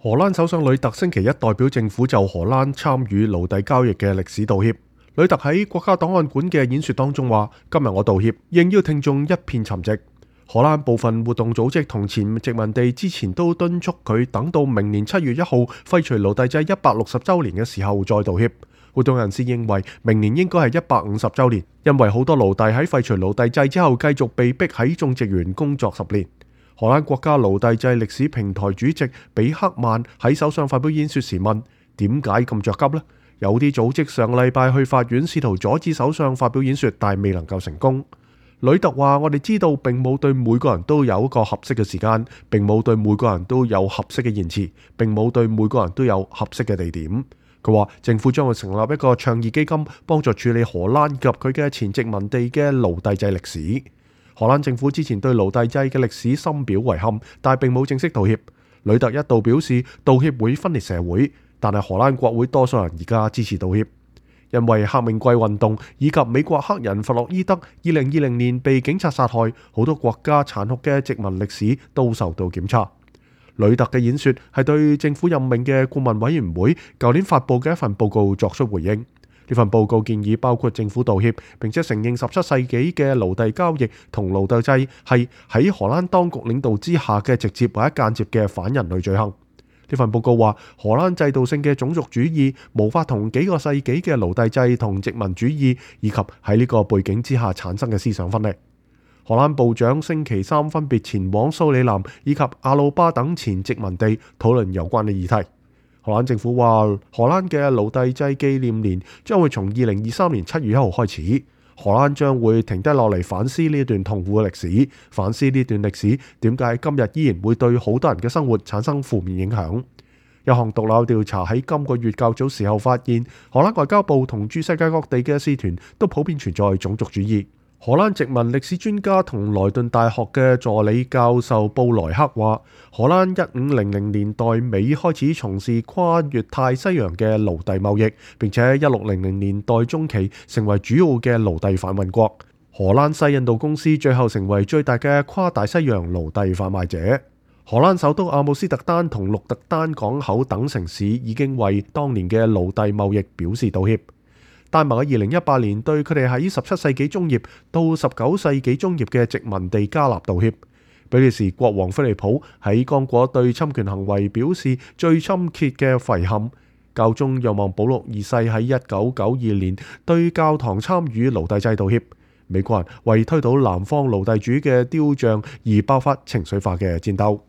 荷蘭首相呂特星期一代表政府就荷蘭參與奴隸交易嘅歷史道歉。呂特喺國家檔案館嘅演說當中話：今日我道歉，應邀聽眾一片沉寂。荷蘭部分活動組織同前殖民地之前都敦促佢等到明年7月1號廢除奴隸制160週年嘅時候再道歉。活動人士認為明年應該係150週年，因為好多奴隸喺廢除奴隸制之後繼續被逼喺種植園工作10年。荷蘭國家奴隸制歷史平台主席比克曼喺首相發表演說時問：點解咁着急呢？有啲組織上禮拜去法院試圖阻止首相發表演說，但未能夠成功。呂特話：我哋知道並冇對每個人都有一個合適嘅時間，並冇對每個人都有合適嘅言辭，並冇對每個人都有合適嘅地點。佢話政府將會成立一個倡議基金，幫助處理荷蘭及佢嘅前殖民地嘅奴隸制歷史。荷蘭政府之前對奴隸制嘅歷史深表遺憾，但並冇正式道歉。呂特一度表示道歉會分裂社會，但係荷蘭國會多數人而家支持道歉，因為黑命貴運動以及美國黑人弗洛伊德2020年被警察殺害，好多國家殘酷嘅殖民歷史都受到檢查。呂特嘅演說係對政府任命嘅顧問委員會舊年發布嘅一份報告作出回應。呢份報告建議包括政府道歉，並且承認17世紀嘅奴隸交易同奴隸制係喺荷蘭當局領導之下嘅直接或者間接嘅反人類罪行。呢份報告話，荷蘭制度性嘅種族主義無法同幾個世紀嘅奴隸制同殖民主義以及喺呢個背景之下產生嘅思想分裂。荷蘭部長星期三分別前往蘇里南以及阿魯巴等前殖民地討論有關嘅議題。荷蘭政府話，荷蘭嘅奴隸制紀念年將會從2023年7月1號開始。荷蘭將會停低落嚟反思呢段痛苦嘅歷史，反思呢段歷史點解今日依然會對好多人嘅生活產生負面影響。一項獨立調查喺今個月較早時候發現，荷蘭外交部同駐世界各地嘅使團都普遍存在種族主義。荷蘭殖民歷史專家同萊頓大學嘅助理教授布萊克話，荷蘭1500年代尾開始從事跨越大西洋嘅奴隸貿易，並且1600年代中期成為主要嘅奴隸販運國。荷蘭西印度公司最後成為最大嘅跨大西洋奴隸販賣者。荷蘭首都阿姆斯特丹同鹿特丹港口等城市已經為當年嘅奴隸貿易表示道歉。丹麥喺2018年對佢哋喺17世紀中葉到19世紀中葉嘅殖民地加納道歉。比利時國王菲利普喺剛果對侵權行為表示最深切嘅遺憾。教宗若望保祿二世喺1992年對教堂參與奴隸制道歉。美國人為推倒南方奴隸主嘅雕像而爆發情緒化嘅戰鬥。